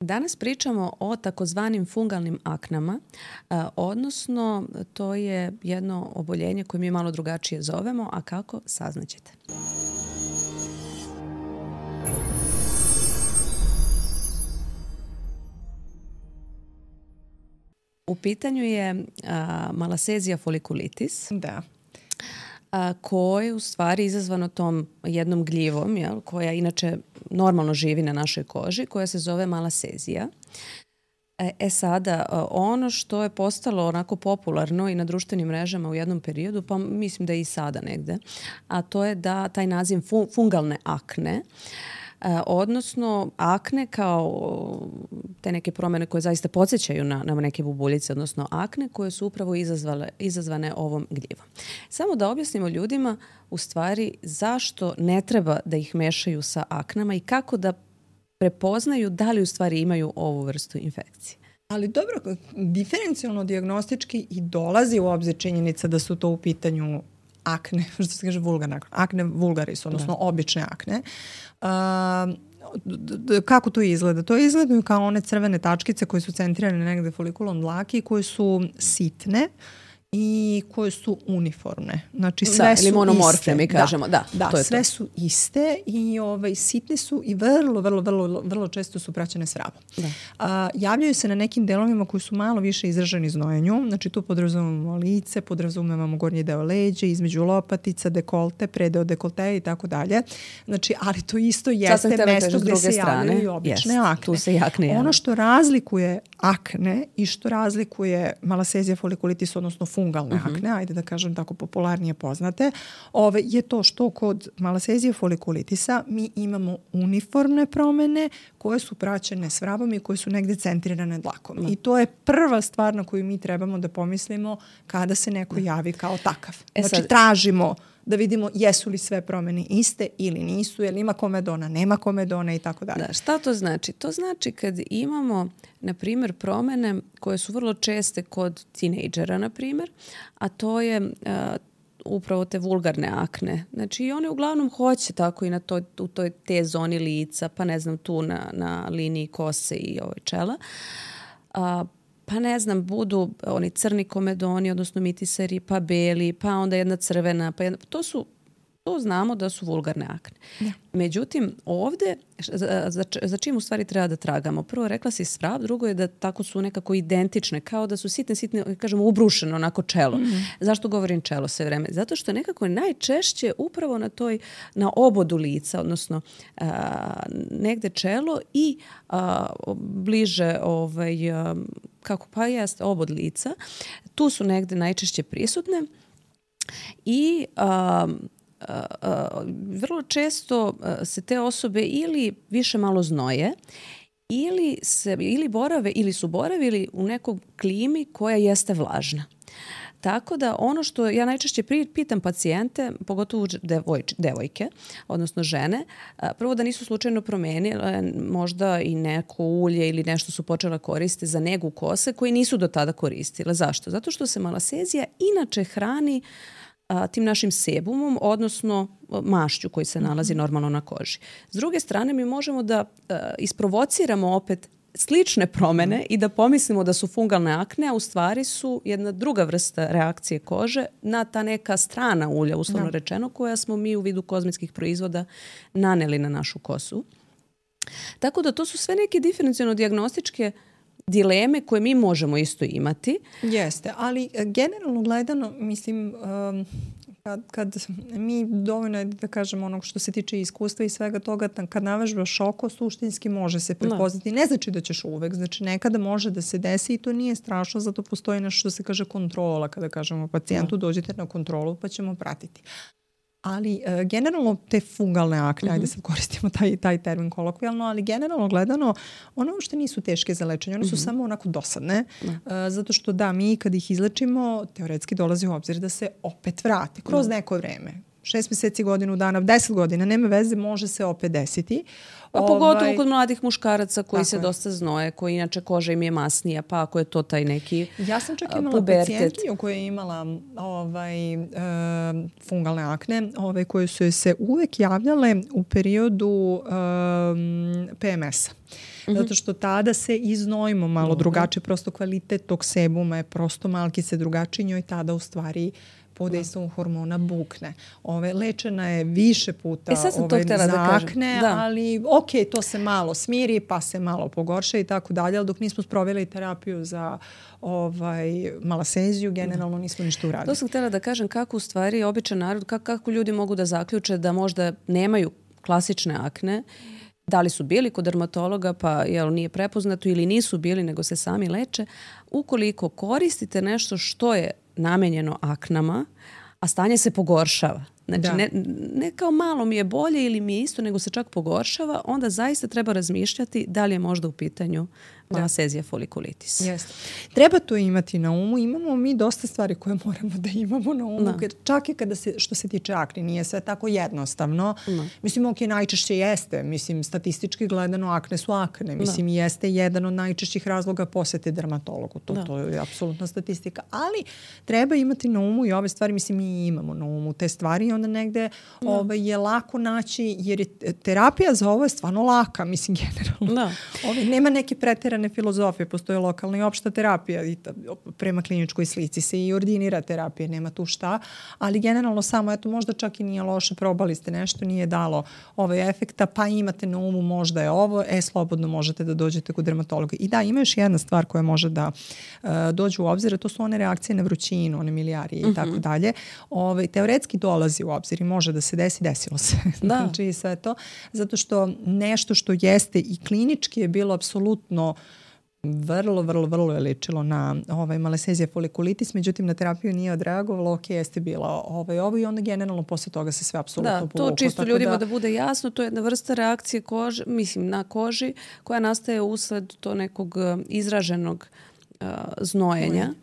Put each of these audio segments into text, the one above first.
Danas pričamo o takozvanim fungalnim aknama, odnosno to je jedno oboljenje koje mi malo drugačije zovemo, a kako, saznaćete. U pitanju je malasezija folikulitis. Da. Koje u stvari izazvano tom jednom gljivom, koja inače normalno živi na našoj koži, koja se zove malasezija. Sada, ono što je postalo onako popularno i na društvenim mrežama u jednom periodu, pa mislim da je i sada negde, a to je da taj naziv fungalne akne, odnosno akne kao te neke promjene koje zaista podsjećaju na neke bubuljice, odnosno akne koje su upravo izazvane ovom gljivom. Samo da objasnimo ljudima u stvari zašto ne treba da ih mešaju sa aknama i kako da prepoznaju da li u stvari imaju ovu vrstu infekcije. Ali dobro, diferencijalno dijagnostički i dolazi u obzir činjenica da su to u pitanju akne, što se kaže vulgarne akne. Akne vulgaris, odnosno obične akne. Kako to izgleda? To izgledaju kao one crvene tačkice koje su centrirane negde folikulom dlake i koje su sitne i koje su uniformne. Znači sve su ili monomorfne, iste. Mi kažemo. Da, to je sve to. Su iste i sitne su i vrlo često su praćene s vrabom. Javljaju se na nekim delovima koji su malo više izraženi znojenju. Znači tu podrazumemo lice, podrazumemo gornji deo leđa, između lopatica, dekolte, predeo dekolteja i tako dalje. Znači, ali to isto jeste mesto gde se javljaju i obične akne. Tu se i akne javljaju. Ono što razlikuje akne i što razlikuje malasezija folikulitis, odnosno fungalne akne, ajde da kažem tako popularnije poznate, je to što kod malasezije folikulitisa mi imamo uniformne promene koje su praćene s vrabom i koje su negde centrirane dlakom. I to je prva stvar na koju mi trebamo da pomislimo kada se neko javi kao takav. Znači tražimo da vidimo jesu li sve promene iste ili nisu, je li ima komedona, nema komedona i tako dalje. Da, šta to znači? To znači kad imamo, na primjer, promene koje su vrlo česte kod tinejdžera, na primjer, a to je upravo te vulgarne akne. Znači i one uglavnom hoće tako i u toj te zoni lica, pa ne znam tu na liniji kose i čela. Pa ne znam, budu oni crni komedoni, odnosno mitiseri, pa beli, pa onda jedna crvena, to znamo da su vulgarne akne. Ja. Međutim, ovde, za čim u stvari treba da tragamo? Prvo, rekla si svrab, drugo je da tako su nekako identične, kao da su sitne, kažemo, ubrušeno onako čelo. Zašto govorim čelo sve vreme? Zato što nekako najčešće upravo na obodu lica, odnosno negde čelo i bliže obod lica. Tu su negde najčešće prisutne i vrlo često se te osobe ili više malo znoje ili su boravili u nekoj klimi koja jeste vlažna. Tako da ono što ja najčešće pitam pacijente, pogotovo devojke, odnosno žene, prvo da nisu slučajno promenile možda i neko ulje ili nešto su počela koristiti za negu kose koji nisu do tada koristile. Zašto? Zato što se malasezija inače hrani tim našim sebumom, odnosno mašću koji se nalazi normalno na koži. S druge strane, mi možemo da isprovociramo opet slične promene i da pomislimo da su fungalne akne, a u stvari su jedna druga vrsta reakcije kože na ta neka strana ulja, uslovno rečeno, koja smo mi u vidu kozmetskih proizvoda naneli na našu kosu. Tako da to su sve neke diferencijalno dijagnostičke dileme koje mi možemo isto imati. Jeste, ali generalno gledano, mislim, kad mi dovoljno, da kažemo, onog što se tiče iskustva i svega toga, kad navežbaš oko, suštinski može se prepoznati. Ne znači da ćeš uvek, znači nekada može da se desi i to nije strašno, zato postoji nešto što se kaže kontrola, kada kažemo pacijentu dođite na kontrolu pa ćemo pratiti. Ali generalno te fungalne akne, ajde sad koristimo taj termin kolokvijalno, ali generalno gledano, one uopšte nisu teške za lečenje, one su samo onako dosadne, zato što mi kad ih izlečimo, teoretski dolazi u obzir da se opet vrate kroz neko vreme. 6 meseci, godinu dana, 10 godina, nema veze, može se opet desiti. A pogotovo kod mladih muškaraca koji se dosta znoje, koji inače koža im je masnija, pa ako je to taj neki pubertet. Ja sam čak imala pacijentkinju koja je imala fungalne akne, koje su se uvek javljale u periodu PMS-a. zato što tada se iznojimo malo drugačije, prosto kvalitet tog sebuma je prosto malkice drugačiji, njoj tada u stvari pod dejstvom hormona bukne. Lečena je više puta za akne, ali to se malo smiri, pa se malo pogorša i tako dalje, ali dok nismo sproveli terapiju za malaseziju, generalno nismo ništa uradili. To sam htjela da kažem kako u stvari običan narod, kako ljudi mogu da zaključe da možda nemaju klasične akne, da li su bili kod dermatologa pa nije prepoznato ili nisu bili nego se sami leče. Ukoliko koristite nešto što je namenjeno aknama, a stanje se pogoršava. Znači, ne kao malo mi je bolje ili mi je isto, nego se čak pogoršava, onda zaista treba razmišljati da li je možda u pitanju malasezija folikulitis. Jeste. Treba to imati na umu. Imamo mi dosta stvari koje moramo da imamo na umu. Čak i što se tiče akne, nije sve tako jednostavno. Mislim, najčešće jeste. Mislim, statistički gledano akne su akne. Mislim, jeste jedan od najčešćih razloga posete dermatologu. To je apsolutna statistika. Ali treba imati na umu i ove stvari. Mislim, mi imamo na umu te stvari i onda negde je lako naći, jer je terapija za ovo je stvarno laka. Mislim, generalno. Nema neke preterane filozofije, postoje lokalna i opšta terapija i prema kliničkoj slici se i ordinira terapija, nema tu šta, ali generalno samo, možda čak i nije loše, probali ste nešto, nije dalo efekta, pa imate na umu možda je ovo, slobodno možete da dođete kod dermatologa. I ima još jedna stvar koja može da dođe u obzir, to su one reakcije na vrućinu, one milijarije i tako dalje. Teoretski dolazi u obzir i može da se desi, desilo se. Znači sve to, zato što nešto što jeste i klinički je bilo apsolutno vrlo je ličilo na malasezija folikulitis, međutim na terapiju nije odreagovalo, jeste bila ovo i onda generalno posle toga se sve apsolutno povuklo. To čisto ljudima da bude jasno, to je jedna vrsta reakcije na koži koja nastaje usled to nekog izraženog znojenja,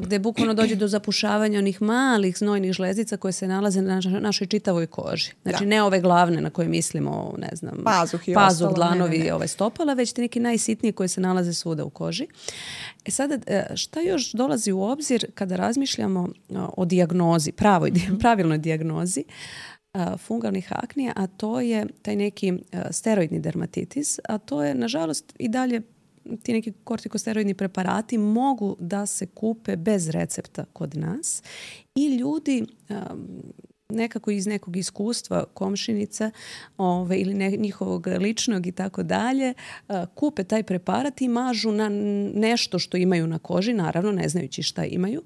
gde bukvalno dođe do zapušavanja onih malih znojnih žlezica koje se nalaze na našoj čitavoj koži. Znači ne ove glavne na koje mislimo, ne znam, pazuh, dlanovi, stopala, već te neki najsitniji koje se nalaze svuda u koži. Sada, šta još dolazi u obzir kada razmišljamo o dijagnozi, pravilnoj dijagnozi fungalnih aknija, a to je taj neki steroidni dermatitis, a to je, nažalost, i dalje ti neki kortikosteroidni preparati mogu da se kupe bez recepta kod nas i ljudi nekako iz nekog iskustva komšinice ili njihovog ličnog i tako dalje kupe taj preparat i mažu na nešto što imaju na koži, naravno ne znajući šta imaju.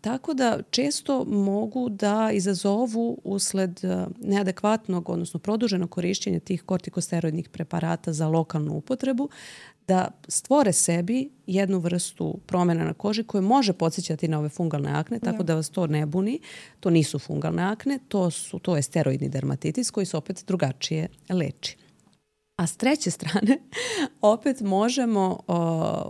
Tako da često mogu da izazovu usled neadekvatnog, odnosno produženog korišćenja tih kortikosteroidnih preparata za lokalnu upotrebu, da stvore sebi jednu vrstu promjena na koži koje može podsjećati na ove fungalne akne, tako da vas to ne buni. To nisu fungalne akne, to je steroidni dermatitis koji se opet drugačije leči. A s treće strane, opet možemo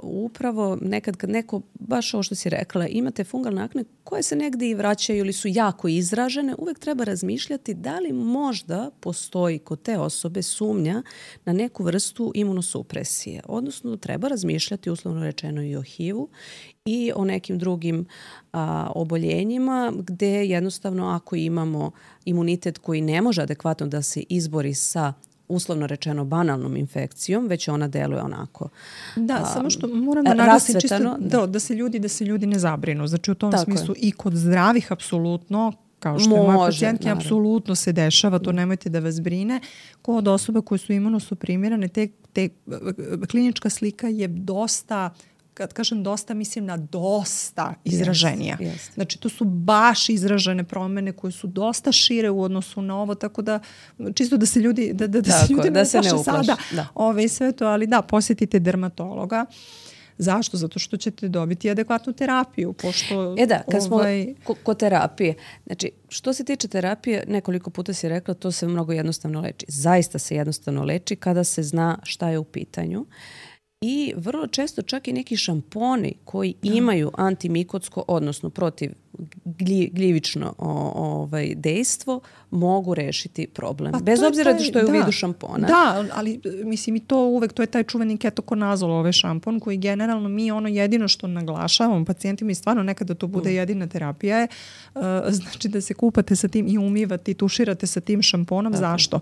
upravo nekad kad neko, baš ovo što si rekla, imate fungalne akne koje se negdje i vraćaju ili su jako izražene, uvijek treba razmišljati da li možda postoji kod te osobe sumnja na neku vrstu imunosupresije. Odnosno, treba razmišljati, uslovno rečeno, i o HIV-u i o nekim drugim oboljenjima gdje jednostavno ako imamo imunitet koji ne može adekvatno da se izbori sa uslovno rečeno banalnom infekcijom, već ona deluje onako samo što moram da naglasim čisto da se ljudi ne zabrinu. Znači u tom smislu i kod zdravih apsolutno, kao što je moja pacijentki, apsolutno se dešava, to nemojte da vas brine. Kod osoba koje su imunosuprimirane, te klinička slika je dosta, kad kažem dosta, mislim na dosta izraženija. Znači, to su baš izražene promjene koje su dosta šire u odnosu na ovo, tako da čisto da se ljudi ne uplaše sada sve to, ali posjetite dermatologa. Zašto? Zato što ćete dobiti adekvatnu terapiju. Pošto, kad smo kod terapije, znači, što se tiče terapije, nekoliko puta si rekla, to se mnogo jednostavno leči. Zaista se jednostavno leči kada se zna šta je u pitanju. I vrlo često čak i neki šamponi koji imaju antimikotsko, odnosno protiv gljivično dejstvo, mogu rešiti problem. Bez obzira što je u vidu šampona. Da, ali mislim i to uvek, to je taj čuveni ketokonazol šampon koji generalno mi jedino što naglašavamo pacijentima i stvarno nekada to bude jedina terapija je znači da se kupate sa tim i umivate i tuširate sa tim šamponom. Zašto?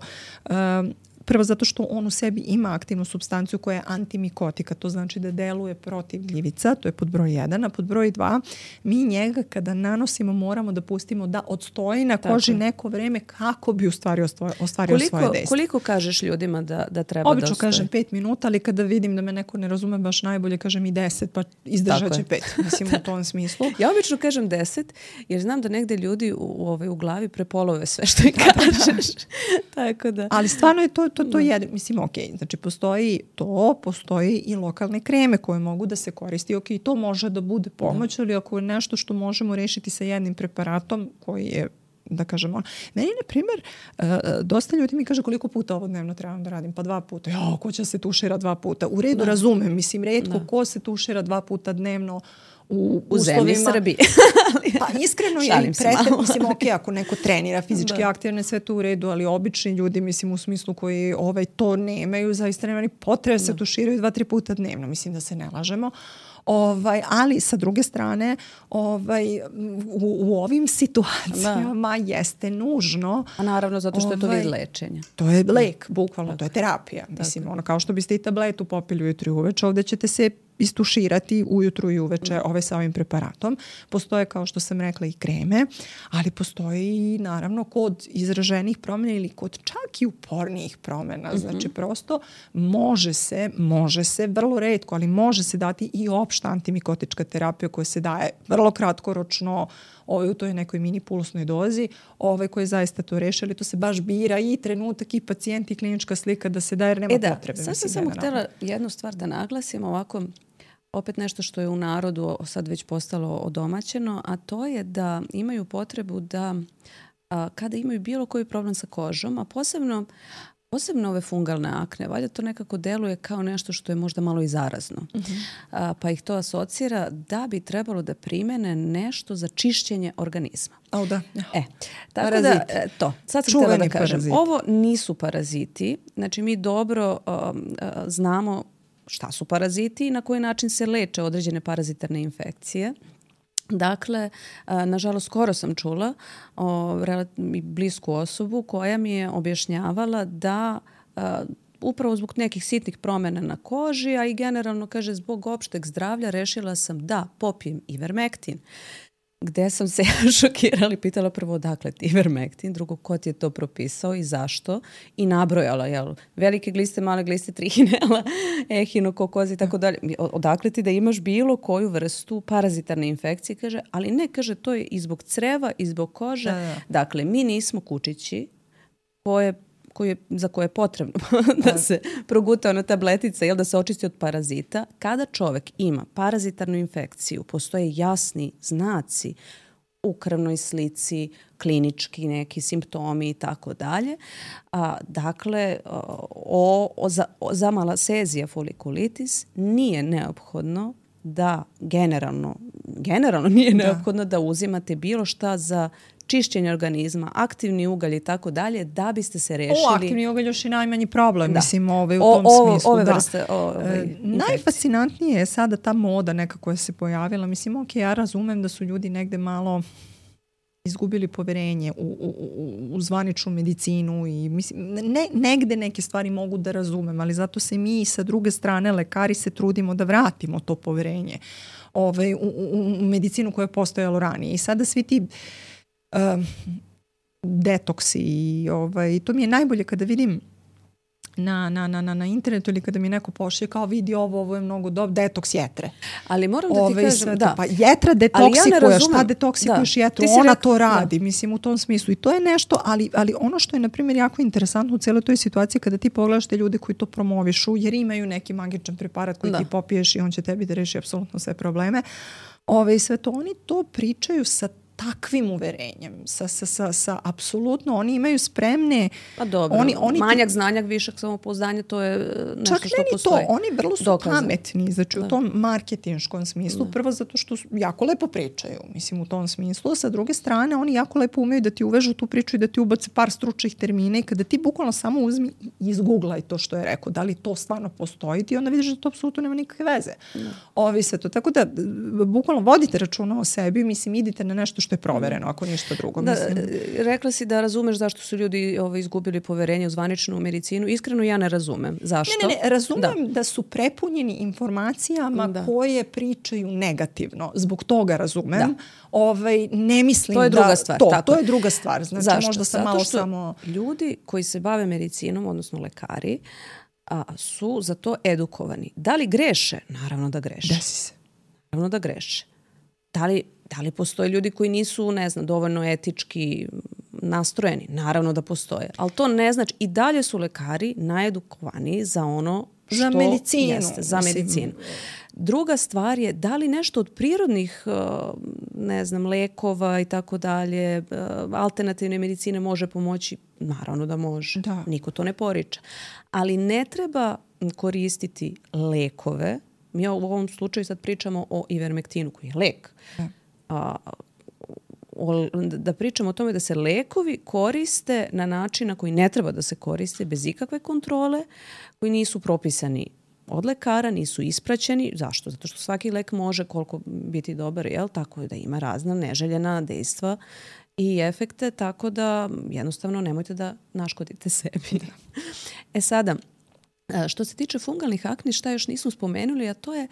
prvo zato što on u sebi ima aktivnu supstanciju koja je antimikotika, to znači da deluje protiv gljivica, to je pod broj 1, a pod broj 2 mi njega kada nanosimo moramo da pustimo da odstoji na koži neko vreme kako bi u stvari ostvario svoje dejstvo. Koliko kažeš ljudima da treba obično da kažem 5 minuta, ali kada vidim da me neko ne razume baš najbolje, kažem i 10, pa izdržat će 5. Mislim u tom smislu. Ja obično kažem 10, jer znam da negde ljudi u glavi prepolove sve što im kažeš. Tako da. Ali stvarno je to jedno. Mislim, ok, znači postoji i lokalne kreme koje mogu da se koristi. Ok, to može da bude pomoć, ali ako je nešto što možemo rešiti sa jednim preparatom koji je, da kažemo, meni, na primjer, dosta ljudi mi kaže koliko puta ovo dnevno trebam da radim, pa 2 puta. Jo, ko će se tušira 2 puta? U redu, razumem, mislim, retko ko se tušira 2 puta dnevno u zemlji Srbije. Pa iskreno je mislim, ok, ako neko trenira fizički aktivne, sve to u redu, ali obični ljudi, mislim, u smislu koji to nemaju, zaista nema ni potrebe se tuširaju 2-3 puta dnevno, mislim da se ne lažemo. Ali sa druge strane u ovim situacijama jeste nužno. A naravno zato što je to vid lečenja. To je lek, bukvalno, to je terapija. Mislim, kao što biste i tabletu popili ujutru i uveče, ovdje ćete se istuširati ujutru i uveče sa ovim preparatom. Postoje, kao što sam rekla, i kreme, ali postoji i naravno kod izraženih promjena ili kod čak i upornijih promjena. Znači prosto može se, vrlo retko, ali može se dati i opšta antimikotička terapija koja se daje vrlo kratkoročno u toj nekoj mini pulsnoj dozi, koji zaista to reši, ali to se baš bira i trenutak i pacijent i klinička slika da se daje, jer nema potrebe. Sad sam samo htjela jednu stvar da naglasim, ovako opet nešto što je u narodu sad već postalo odomaćeno, a to je da imaju potrebu da kada imaju bilo koji problem sa kožom, a posebno ove fungalne akne, valjda to nekako deluje kao nešto što je možda malo i zarazno. Pa ih to asocira da bi trebalo da primene nešto za čišćenje organizma. Tako da, sad sam htjela da kažem, ovo nisu paraziti, znači mi dobro znamo šta su paraziti i na koji način se leče određene parazitarne infekcije. Dakle, nažalost, skoro sam čula blisku osobu koja mi je objašnjavala da upravo zbog nekih sitnih promjena na koži, a i generalno, kaže, zbog opšteg zdravlja rešila sam da popijem Ivermektin. Gde sam se šokirala i pitala prvo odakle ti Ivermektin, drugo ko ti je to propisao i zašto, i nabrojala velike gliste, male gliste, trihinela, ehinokokozi i tako dalje. Odakle ti da imaš bilo koju vrstu parazitarne infekcije, kaže, ali ne, kaže, to je i zbog creva i zbog kože. Dakle, mi nismo kučići za koje je potrebno da se proguta ona tabletica, da se očisti od parazita. Kada čovjek ima parazitarnu infekciju, postoje jasni znaci u krvnoj slici, klinički neki simptomi i tako dalje. Dakle, za malasezija folikulitis nije neophodno da generalno nije neophodno da uzimate bilo šta za čišćenje organizma, aktivni ugalj i tako dalje, da biste se rešili. Aktivni ugalj još i najmanji problem, mislim, u tom smislu. Ove vrste. Najfascinantnije je sada ta moda neka koja se pojavila. Mislim, ok, ja razumem da su ljudi negde malo izgubili poverenje u zvaničnu medicinu i mislim, negde neke stvari mogu da razumem, ali zato se mi sa druge strane lekari se trudimo da vratimo to poverenje u medicinu koja je postojalo ranije. I sada svi ti detoksi i to mi je najbolje kada vidim na internetu ili kada mi neko pošlje kao vidi ovo je mnogo dobro, detoks jetre. Ali moram da ti kažem, da. Pa jetra detoksikuje, šta detoksikuješ jetru? Ona to radi, mislim, u tom smislu. I to je nešto, ali ono što je, na primjer, jako interesantno u cijeloj toj situaciji kada ti pogledaš te ljude koji to promovišu, jer imaju neki magičan preparat koji ti popiješ i on će tebi da reši apsolutno sve probleme. Sve to, oni to pričaju sa takvim uverenjem, sa apsolutno, oni imaju spremne... Pa dobro, manjak znanja, višak samopouzdanja, to je nešto čak što postoji. To, oni vrlo su pametni, znači u tom marketinškom smislu, prvo zato što jako lepo pričaju, mislim, u tom smislu, sa druge strane, oni jako lepo umeju da ti uvežu tu priču i da ti ubace par stručnih termina i kada ti bukvalno samo uzmi i izguglaj to što je rekao, da li to stvarno postoji, ti onda vidiš da to apsolutno nema nikakve veze. Sve to. Tako da, bukvalno vodite računa o sebi, mislim, idite na nešto što što je provereno, ako ništa drugo. Da, mislim. rekla si da razumeš zašto su ljudi izgubili poverenje u zvaničnu medicinu. Iskreno ja ne razumem. Zašto? Ne, razumem da su prepunjeni informacijama koje pričaju negativno. Zbog toga razumem. Ne mislim to je druga stvar. To je druga stvar. Znači, zašto? možda sam zato malo što samo... ljudi koji se bave medicinom, odnosno lekari, su za to edukovani. Da li greše? Naravno da greše. Desi se. Naravno da greše. Da li postoje ljudi koji nisu, ne znam, dovoljno etički nastrojeni? Naravno da postoje. Ali to ne znači, i dalje su lekari najedukovaniji za ono što za medicinu. Jeste, za medicinu. Druga stvar je da li nešto od prirodnih, ne znam, lekova i tako dalje, alternativne medicine može pomoći? Naravno da može. Da. Niko to ne poriča. Ali ne treba koristiti lekove. Mi u ovom slučaju sad pričamo o ivermektinu koji je lek. Da pričamo o tome da se lekovi koriste na način na koji ne treba da se koriste, bez ikakve kontrole, koji nisu propisani od lekara, nisu ispraćeni. Zašto? Zato što svaki lek može koliko biti dobar, tako da ima razna neželjena dejstva i efekte, tako da jednostavno nemojte da naškodite sebi. Sada, što se tiče fungalnih akni, šta još nismo spomenuli, a to je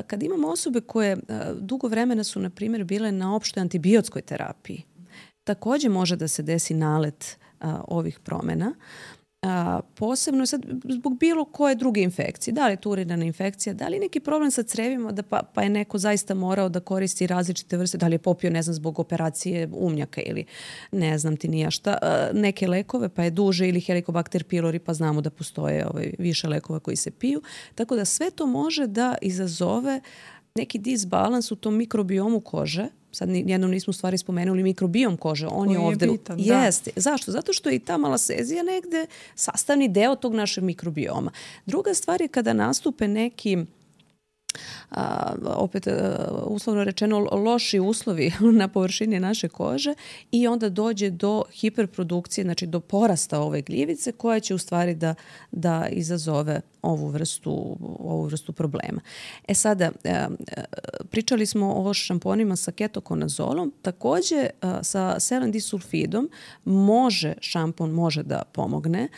kad imamo osobe koje dugo vremena su, na primjer, bile na opštoj antibiotskoj terapiji. Također može da se desi nalet ovih promjena. Posebno sad zbog bilo koje druge infekcije. Da li je to urinarna infekcija, da li je neki problem sa crevima pa je neko zaista morao da koristi različite vrste, da li je popio, ne znam, zbog operacije umnjaka ili ne znam ti nija šta, neke lekove pa je duže ili helikobakter pylori pa znamo da postoje više lekova koji se piju. Tako da sve to može da izazove neki disbalans u tom mikrobiomu kože. Sad jednom nismo u stvari spomenuli mikrobiom kože. On je ovdje. Bitan, jeste. Zašto? Zato što je i ta malasezija negde sastavni deo tog našeg mikrobioma. Druga stvar je kada nastupe neki uslovno rečeno loši uslovi na površini naše kože i onda dođe do hiperprodukcije, znači do porasta ove gljivice koja će u stvari da izazove ovu vrstu problema. Sada, pričali smo o šamponima sa ketokonazolom, također sa selendisulfidom šampon može da pomogne.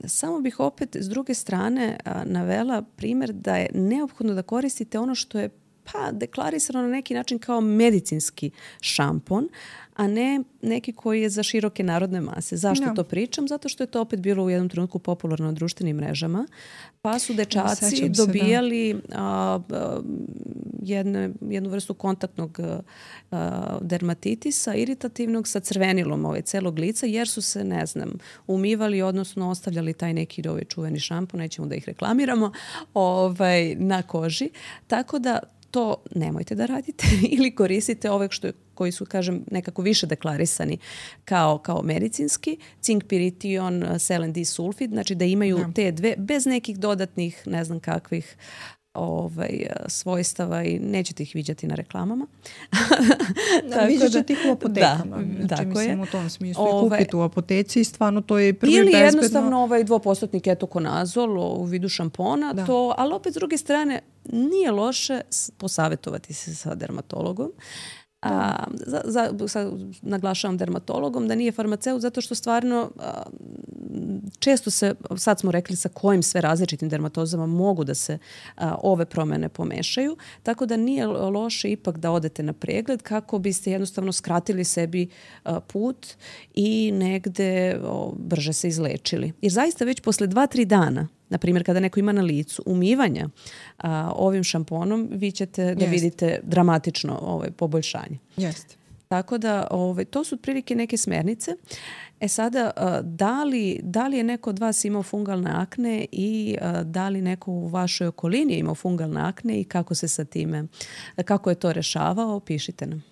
Samo bih opet s druge strane navela primjer da je neophodno da koristite ono što je deklarisano na neki način kao medicinski šampon, a ne neki koji je za široke narodne mase. Zašto to pričam? Zato što je to opet bilo u jednom trenutku popularno na društvenim mrežama. Pa su dečaci dobijali jednu vrstu kontaktnog dermatitisa, iritativnog sa crvenilom celog lica, jer su se, ne znam, umivali, odnosno ostavljali taj neki čuveni šampon, nećemo da ih reklamiramo, na koži. Tako da to nemojte da radite ili koristite ove koji su, kažem, nekako više deklarisani kao medicinski, cinkpirition, selendisulfid, znači da imaju te dve bez nekih dodatnih, ne znam kakvih svojstava i nećete ih viđati na reklamama. Viđat ćete ih u apotekama. Znači, mislim u tom smislu. Kupiti u apoteci i stvarno to je prvi bezbedno. Ili jednostavno 2% ketokonazol u vidu šampona, ali opet s druge strane nije loše posavetovati se sa dermatologom. Naglašavam dermatologom da nije farmaceut zato što stvarno često se, sad smo rekli sa kojim sve različitim dermatozama mogu da se ove promjene pomešaju, tako da nije loše ipak da odete na pregled kako biste jednostavno skratili sebi put i negde brže se izlečili. Jer zaista već posle 2-3 dana, na primjer, kada neko ima na licu umivanja ovim šamponom, vi ćete da vidite dramatično poboljšanje. Jeste. Tako da to su otprilike neke smernice. Sada, da li je neko od vas imao fungalne akne i da li neko u vašoj okolini je imao fungalne akne i kako se sa time, kako je to rešavao, pišite nam.